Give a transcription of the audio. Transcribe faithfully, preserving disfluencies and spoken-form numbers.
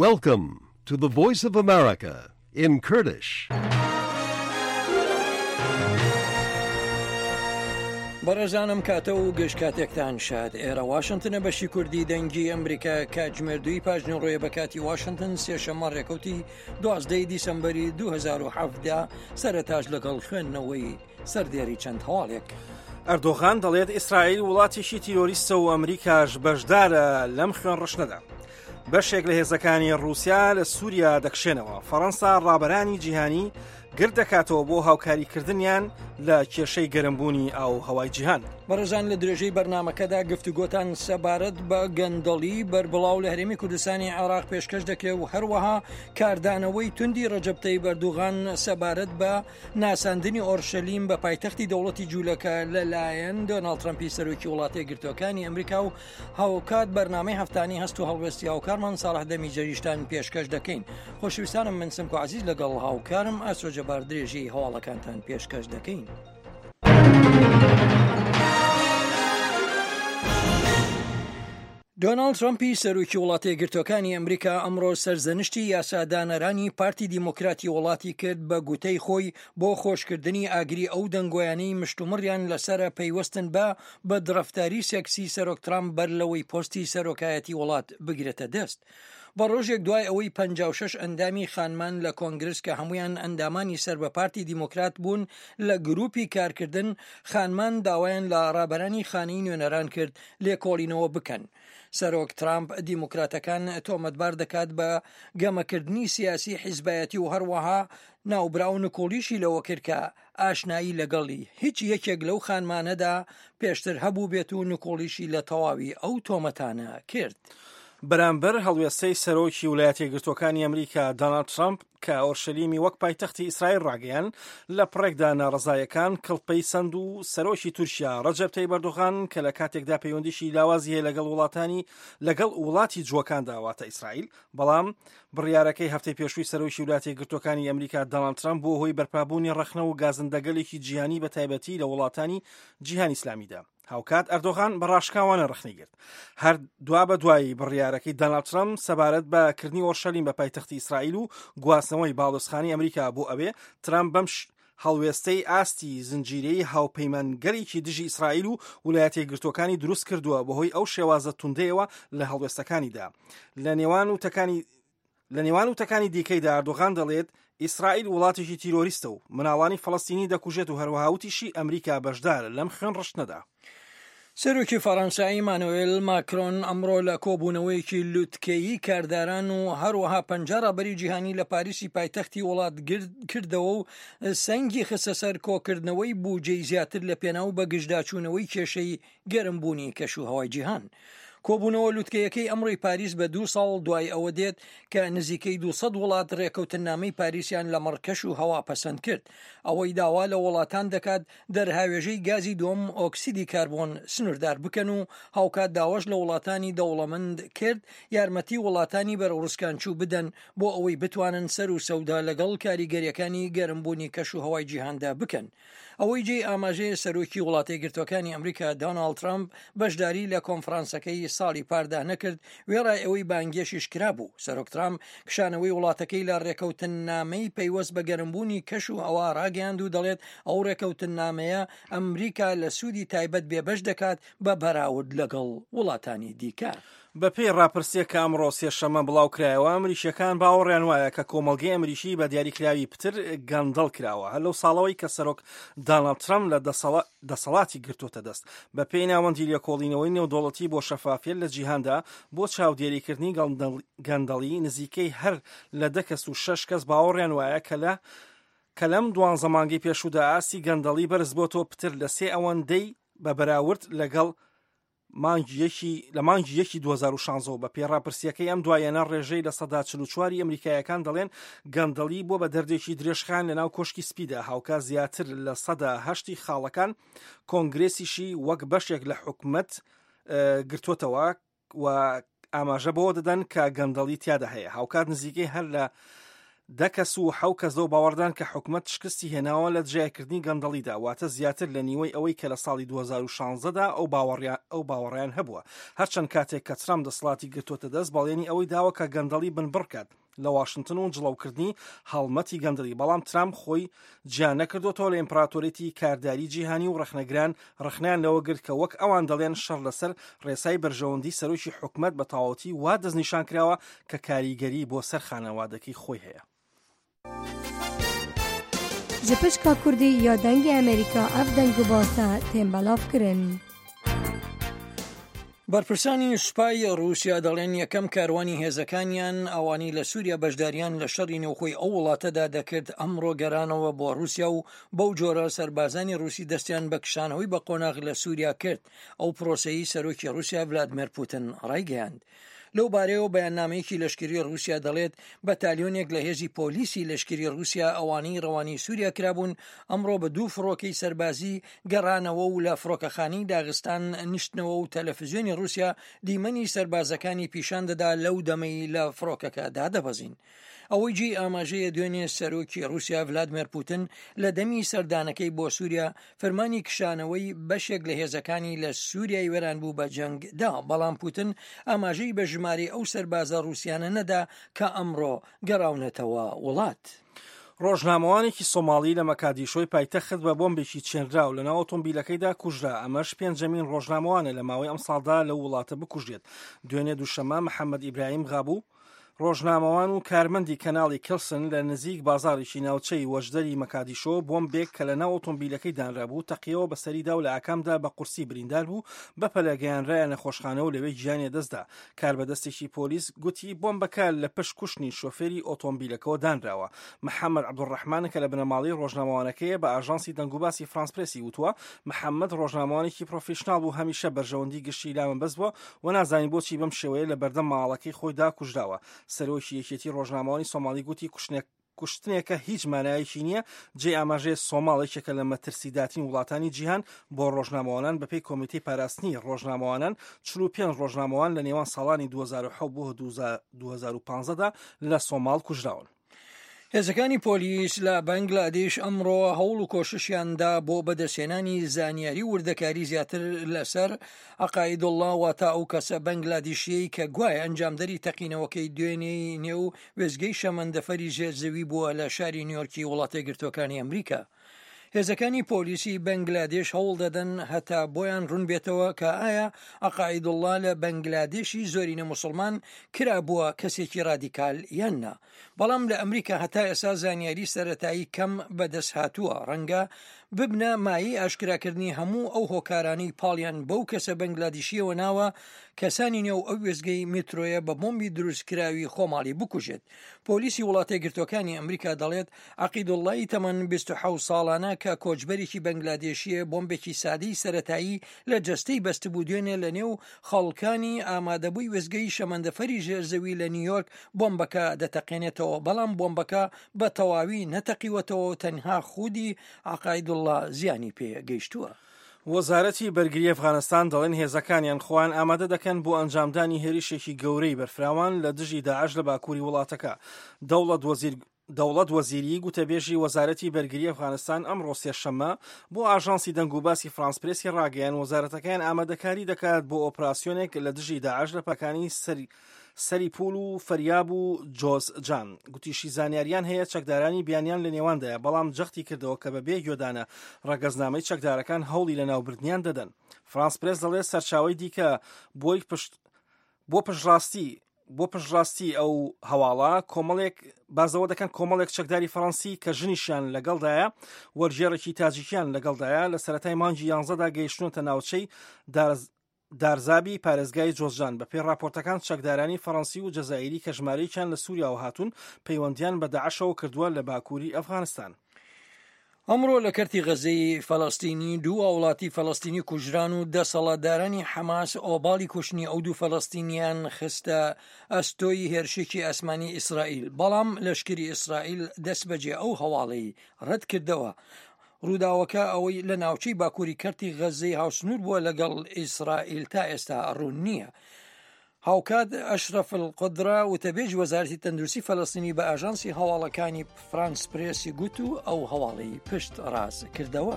Welcome to the Voice of America in Kurdish. بەڕێزانم کاتە و گشت کاتێکتان شاد. ئێرە واشنگتنە، بەشی کوردی دەنگی ئەمریکا. کاتژمێر دووی پاژنەڕۆیە بە کاتی واشنگتن، سێشەممە ڕێکەوتی دوازدەی دیسەمبەری دوو هەزار و حەڤدە. سەرەتاش لەگەڵ خوێندنەوەی سەردێری چەند هەواڵێک. ئەردۆغان دەڵێت ئیسرائیل وڵاتێکی تیرۆریستە و ئەمریکاش بەشدارە لەم خوێن ڕشتنەدا. بەشێک لە هێزەکانی رووسیا لە سووریا دەکشێنەوە. فەڕەنسا ڕابەرانی جیهانی گرد دەکاتەوە بۆ هاوکاریکردنیان لە کێشەی گەرمبوونی ئاو هەوای جیهان. بەڕێزان، لە درێژەی بەرنامەکەدا گفتوگۆتان سەبارەت بە گەندەڵی بەربڵاو لە هەرێمی کوردستانی عێراق پێشکەش دەکرێت و هەروەها کاردانەوەی توندی ڕەجەب تەیب ئەردوغان سەبارەت بە ناساندنی ئۆرشەلیم بە پایتەختی دەوڵەتی جوولەکە لەلایەن دۆناڵد ترەمپی سەرۆکی وڵاتە یەکگرتووەکانی ئەمریکا و هاوکات بەرنامەی هەفتانی هەست و هەڵوێستی هاوکارمان ساڵح دەمیجەریشتان پێشکەش دەکەین. خۆشەویستانم، من سمکۆ عزیز لەگەڵ هاوکارم ئاسۆ جەبار درێژەی هەواڵەکانتان پێشکەش دەکەین. دۆناڵد ترەمپی سەرۆکی وڵاتە یەکگرتووەکانی ئەمریکا ئەمڕۆ سەرزەنشتی یاسادانەرانی پارتی دیموکراتی وڵاتی کرد، بە گوتەی خۆی بۆ خۆشکردنی ئاگری ئەو دەنگۆیانەی مشتومڕیان لەسرە پەیوەستن بە بەدڕەفتاری سێکسی سەرۆک ترامپ بەر لەوەی پۆستی سەرۆکایەتی وڵات بگرێتە دەست. بە ڕۆژێک دوای ئەوەی پەنجا و شەش ئەندامی خانمان لە کۆنگرس کە هەمویان ئەندامانی سەر بە پارتی دیموکرات بوون لە گروپی کارکردن خانمان داوایان لە ڕابەرانی خانەی نوێنەران کرد لێکۆڵینەوە بکەن. سەرۆک ترامپ دیموکراتەکان تۆمەتبار دەکات بە گەمەکردنی سیاسی حیزبایەتی و هەروەها ناوبراو نکۆڵیشی لەوە کرد کە ئاشنایی لەگەڵی هیچ یەکێک لەو خانمانەدا پێشتر هەبوو بێت و نکۆڵیشی لە تەواوی ئەو تۆمەتانە کرد. بەرامبەر هەڵوێستەی سەرۆکی ولایەتە یەکگرتووەکانی ئەمریکا دۆناڵد ترامپ کە ئۆرشەلیمی وەک پایتەختی ئیسرائیل ڕاگەیان، لە پڕێکدا ناڕەزایەکان کڵپەی سند و سەرۆکی تورکیا ڕەجەب تەیب ئەردۆغان کە لە کاتێکدا پەیوەندیشی لاوازی هەیە لەگەڵ وڵاتانی لەگەڵ وڵاتی جووەکاندا، واتە ئیسرائیل، بەڵام بڕیارەکەی هەفتەی پێشووی سەرۆکی ولایەتە یەکگرتووەکانی ئەمریکا دۆناڵد ترامپ بووە هۆی بەرپابوونی ڕەخنە و گازندەگەلێکی جیهانی، بە تایبەتی لە وڵاتانی جیهانی ئیسلامیدا. هاوکات ئەردۆغان بە ڕاشکاوانە ڕەخنەی گرت. هەر دوا بە دوایی بڕیارەکەی دۆناڵد ترامپ سەبارەت بە کردنی ئۆرشەلیم بە پایتەختی ئیسرائیل و گواستنەوەی باڵۆزخانەی ئەمریکا بۆ ئەوێ، ترامپ بەم هەڵوێستەی ئاستی زنجیرەی هاوپەیمانگەلێکی دژی ئیسرائیل و ولایەتە یەکگرتووەکانی دروست کردووە بەهۆی ئەو شێوازە توندەیەوە لە هەڵوێستەکانیدا. لە نێوان وتەکانی لە نێوان وتەکانی دیکەیدا ئەردۆغان دەڵێت ئیسرائیل وڵاتێکی تیرۆریستە و مناڵانی فەڵەستینی دەکوژێت و هەروەها وتیشی ئەمریکا بەشدارە لەم خوێن ڕشتنەدا. سەرۆکی فەڕەنسا ئیمانوێل ماکرۆن ئەمڕۆ لە کۆبوونەوەیەکی لوتکەیی کارداران و هەروەها پەنجا ڕابەری جیهانی لە پاریسی پایتەختی وڵات کردەوە و سەنگی خستە سەر کۆکردنەوەی بودجەی زیاتر لە پێناو بەگژداچوونەوەی کێشەی گەرمبوونی کەش و هەوای جیهان. کۆبوونەوە لوتکەیەکەی ئەمڕۆی پاریس بە دوو ساڵ دوای ئەوە دێت کە نزیکەی دوو سەد وڵات ڕێکەوتنامەی پاریسیان لە مەڕ کەش و هەوا پەسەند کرد، ئەوەی داوا لە وڵاتان دەکات دەرهاوێژەی گازی دووەم ئۆکسیدی کاربۆن سنووردار بکەن و هاوکات داواش لە وڵاتانی دەوڵەمەند کرد یارمەتی وڵاتانی بەرەو ڕسکانچوو بدەن بۆ ئەوەی بتوانن سەر و سەودا لەگەڵ کاریگەریەکانی گەرمبوونی کەش و هەوای جیهاندا بکەن. ئەوەی جێی ئاماژەیە، سەرۆکی وڵاتە یەکگرتووەکانی ئەمریکا دۆناڵد ترامپ بەشداری لە کۆنفرانسەکەی ساڵی پاردا نەکرد، وێڕای ئەوەی بانگێشتیش کرابوو. سەرۆک ترامپ کشانەوەی وڵاتەکەی لە ڕێکەوتنامەی پەیوەست بە گەرمبوونی کەش و هەوا ڕاگەیاند و دەڵێت ئەو ڕێکەوتنامەیە ئەمریکا لە سوودی تایبەت بێبەش دەکات بە بەراورد لەگەڵ وڵاتانی دیکە. بەپێی ڕاپرسیەک کە ئەمڕۆ سێشەممە بڵاو کرایەوە، ئەمریکیەکان باوەڕیان وایە کە کۆمەڵگەی ئەمریکی بە دیاریکراوی پتر گەندەڵ کراوە هەر لەو ساڵەوەی کە سەرۆک داناڵد ترەمپ لە دەسەڵاتی گرتوتە دەست. بە پێی ناوەندی لێکۆڵینەوەی نێودەوڵەتی بۆ شەفافیەت لە جیهاندا بۆ چاودێریکردنی گەندەڵی، نزیکەی هەر لە دە کەس و شەش کەس باوەڕیان وایە کە لە کە لەم دوانزە مانگەی پێشوودا ئاستی گەندەڵی بەرز بۆتەوە پتر لە سێ ئەوەندەی بە بەراورد لەگەڵ مانگی یەکی لە مانگی یەکی دوو هەزار و شازدە. بە پێی ڕاپرسیەکەی ئەم دوایەنە، ڕێژەی لە سەدا چل و چوار ئەمریکایەکان دەڵێن گەندەڵی بۆ بە دەردێکی درێژخایەن لە ناو کۆشکی سپیدا، هاوکات زیاتر لە سەدا هەشتی خاڵەکان کۆنگرێسیشی وەک بەشێک لە حکومەت گرتوتەوە و ئاماژە بەوە دەدەن کە گەندەڵی تیادا هەیە. هاوکات نزیکەی هەر لە دە کەس و حەو کەس لەو باوەڕدان کە حکومەت شکستی هێناوە لە دژایەکردنی گەندەڵیدا، واتە زیاتر لە نیوەی ئەوەی کە لە ساڵی دوو هەزار و شازدە دا ئەو ئەو باوەڕیان هەبووە. هەرچەند کاتێک کە ترامپ دەسەڵاتی گرتووەتە دەست بەڵێنی ئەوەی داوە کە گەندەڵی بنبڕکات لە واشنتن و جڵەوکردنی هەڵمەتی گەندەڵی، بەڵام ترامپ خۆی جیا نەکردوێتەوە لە ئیمپراتۆریەتی کارداری جیهانی و ڕەخنەگران ڕەخنەیان لەوە گرت کە وەک ئەوان دەڵێن شەڕ لەسەر ڕێسای بەرژەوەندی سەرۆکی حکومەت بە تەواوەتی وا دەستنیشان کراوە کە کاریگەری بۆ سەر خانەوادەکەی خۆی هەیە. Ji pişka Kurdî ya Dengê Amerîka ev deng û basa tên belavkirin. بەرپرسانی سوپای ڕووسیا دەڵێن یەکەم کاروانی هێزەکانیان ئەوانەی لە سووریا بەشداریان لە شەڕی نێوخۆی ئەو وڵاتەدا دەکرد ئەمڕۆ گەرانەوە بۆ ڕووسیا و بەو جۆرە سەربازانی ڕووسی دەستیان بە کشانەوەی بە قۆناغ لە سووریا کرد. ئەو پرۆسەی سەرۆکی ڕووسیا ڤلادیمێر پوتن ڕایگەیاند. لەو بارەیەوە بەیاننامەیەکی لەشکری ڕووسیا دەڵێت بەتالیۆنێک لە هێزی پۆلیسی لەشکری ڕووسیا ئەوانەی ڕەوانی سووریا کرابوون ئەمڕۆ بە دوو فڕۆکەی سەربازی گەڕانەوە و لە فڕۆکەخانەی داغستان نیشتنەوە و تەلەفزیۆنی ڕووسیا دیمەنی سەربازەکانی پیشان دەدا لەو دەمەی لە فڕۆکەکە دادەبەزین. ئەوەی جێی ئاماژەیە دوێنێ سەرۆکی ڕووسیا ڤلادیمێر پوتن لە دەمی سەردانەکەی بۆ سووریا فەرمانی کشانەوەی بەشێک لە هێزەکانی لە سووریای وێران بوو بە جەنگ دا، بەڵام پوتن ئاماژەی بە ژمارەی ئەو سەربازە ڕووسیانە نەدا کە ئەمڕۆ گەڕاونەتەوە وڵات. ڕۆژنامەوانێکی سۆماڵی لە مەکادیشۆی پایتەخت بە بۆمبێکی چێنراو لەناو ئۆتۆمبیلەکەیدا کوژرا، ئەمەش پێنجەمین ڕۆژنامەوانە لە ماوەی ئەمساڵدا لەو وڵاتە بکوژرێت. دوێنێ دووشەممە محەممەد ئیبراهیم غابوو ڕۆژنامەوان و کارمەندی کەناڵی کلسن لە نزیک بازاڕێکی ناوچەی وەژدەری مەکادیشۆ بۆمبێک کە لە ناو ئۆتۆمبیلەکەی دانرابوو تەقیەوە بەسەریدا و لە ئاکامدا بە قورسی بریندار بوو، بەپەلە گەیانرایە نەخۆشخانە و لەوێ گیانی دەستدا. کاربەدەستێکی پۆلیس گوتی بۆمبەکە لە پشت کوشتنی شۆفێری ئۆتۆمبیلەکەەوە دانراوە. محەممەد عەبدولڕەحمان کە لە بنەماڵەی ڕۆژنامەوانەکەیە بە ئاژانسی دەنگوباسی فرانس پرێسی وتووە محەممەد ڕۆژنامەوانێکی پرۆفیشناڵ بوو، هەمیشە بەرژەوەندی گشتی لامەبەست بووە و نازانی بۆچی بەم شێوەیە لە بەردەم ماڵەکەی خۆیدا کوژراوە. سەرۆکی یەکێتی ڕۆژنامەوانی سۆماڵی گوتی کوشتنێکە هیچ مانایەکی نییە. جێ ئاماژەیە سۆماڵ یەکێکە لە مەترسیداترین وڵاتانی جیهان بۆ ڕۆژنامەوانان. بەپێی کۆمیتەی پاراستنی ڕۆژنامەوانان چل و پێنج ڕۆژنامەوان لە نێوان ساڵانی دوو هەزار و حەوت بۆ دوو هەزار و پازدە دا لە سۆماڵ کوژراون. هێزەکانی پۆلیس لە بەنگلادیش ئەمڕۆ هەوڵ و کۆششیاندا بۆ بەدەستهێنانی زانیاری وردەکاری زیاتر لەسەر عەقائیدوڵڵا، واتە ئەو کەسە بەنگلادیشیەی کە گوایە ئەنجامدەری تەقینەوەکەی دوێنێی نێو وێستگەی شەمەندەفەری ژێرزەوی بووە لە شاری نیویۆرکی وڵاتە یەکگرتووەکانی ئەمریکا. هێزەکانی پۆلیسی بەنگلادێش هەوڵ دەدەن هەتا بۆیان ڕوون بێتەوە کە ئایا عەقائیدوڵڵا لە بەنگلادێشی زۆرینە مسلمان کرابووە کەسێکی ڕادیکال یان نا. بەڵام لە ئەمریکا هەتا ئێستا زانیاری سەرەتایی کەم بەدەست هاتووە، ڕەنگە ببنە مایەی ئاشکراکردنی هەموو ئەو هۆکارانەی پاڵیان بەو کەسە بەنگلادیشیەوە ناوە کەسانی نێو ئەو وێستگەی میترۆیە بە بۆمبی دروستکراوی خۆماڵی بکوژێت. پۆلیسی وڵاتە یەکگرتووەکانی ئەمریکا دەڵێت عەقیدوڵڵای تەمەن بیست و حەوت ساڵانە کە کۆچبەرێکی بەنگلادێشیە بۆمبێکی سادەی سەرەتایی لە جەستەی بەستبوو دوێنێ لە نێو خەڵکانی ئامادەبووی وێستگەی شەمەندەفەری ژێرزەوی لە نیویۆرک بۆمبەکە دەتەقێنێتەوە، بەڵام بۆمبەکە بە تەواوی نەتەقیوەتەوە، تەنها خودی عەقائیدوڵڵا زیانی پێ گەیشتووە. وەزارەتی بەرگری ئەفغانستان دەڵێن هێزەکانیان خۆیان ئامادە دەکەن بۆ ئەنجامدانی هێرشێکی گەورەی بەرفراوان لە دژی داعش لە باکووری وڵاتەکە. دەوڵەت وەزیر دەوڵەت وەزیری گوتەبێژی وەزارەتی بەرگری ئەفغانستان ئەمڕۆ سێشەممە بۆ ئاژانسی دەنگوباسی فرانس پرێسی ڕاگەیان وەزارەتەکەیان ئامادەکاری دەکات بۆ ئۆپراسیۆنێک لە دژی داعش لە پەکانی سەری سەری پول و فەریاب و جۆزجان. گوتیشی زانیاریان هەیە چەکدارانی بیانیان لە نێواندایە، بەڵام جەختی کردەوە کە بەبێ گوێدانە ڕەگەزنامەی چەکدارەکان هەوڵی لەناوبردنیان دەدەن. فرانس پرێس دەڵێت سەرچاوەی دیکە بۆی پشت بۆ پشتڕاستی بۆ پشتڕاستی ئەو هەواڵە کۆمەڵێک بازەوە دەکەن کۆمەڵێک چەکداری فەڕەنسی کە ژنیشیان لەگەڵدایە وەرگێڕێکی تاجیکیان لەگەڵدایە لە سەرەتای مانگی یانزەدا گەیشتونەتە ناوچەی دارز دارزابی پارێزگای جۆزجان. بەپێی راپۆرتەکان چەکدارانی فەڕەنسی و جەزائیری کە ژمارەیەکیان لە سووریاوە هاتوون پەیوەندیان بە داعشەوە کردووە لە باکووری ئەفغانستان. ئەمڕۆ لە کەرتی غەزەی فەلەستینی دوو هاوڵاتی فەلەستینی کوژران و دەسەڵاتدارانی حەماس ئۆباڵی کوشتنی ئەو دوو فەلەستینیان خستە ئەستۆی هێرشێکی ئاسمانی ئیسرائیل، بەڵام لەشکری ئیسرائیل دەستبەجێ ئەو هەواڵەی ڕەت کردەوە. ڕووداوەکە ئەوەی لە ناوچەی باکووری کەرتی غەزەی هاوسنوور بووە لەگەڵ ئیسرائیل تا ئێستا ڕوون نییە. هاوکات ئەشرەف القدرە وتەبێژی وەزارەتی تەندروستی فەلەستینی بە ئاژانسی هەواڵەکانی فرانس پرێسی گوت و ئەو هەواڵی پشت ڕاست کردەوە.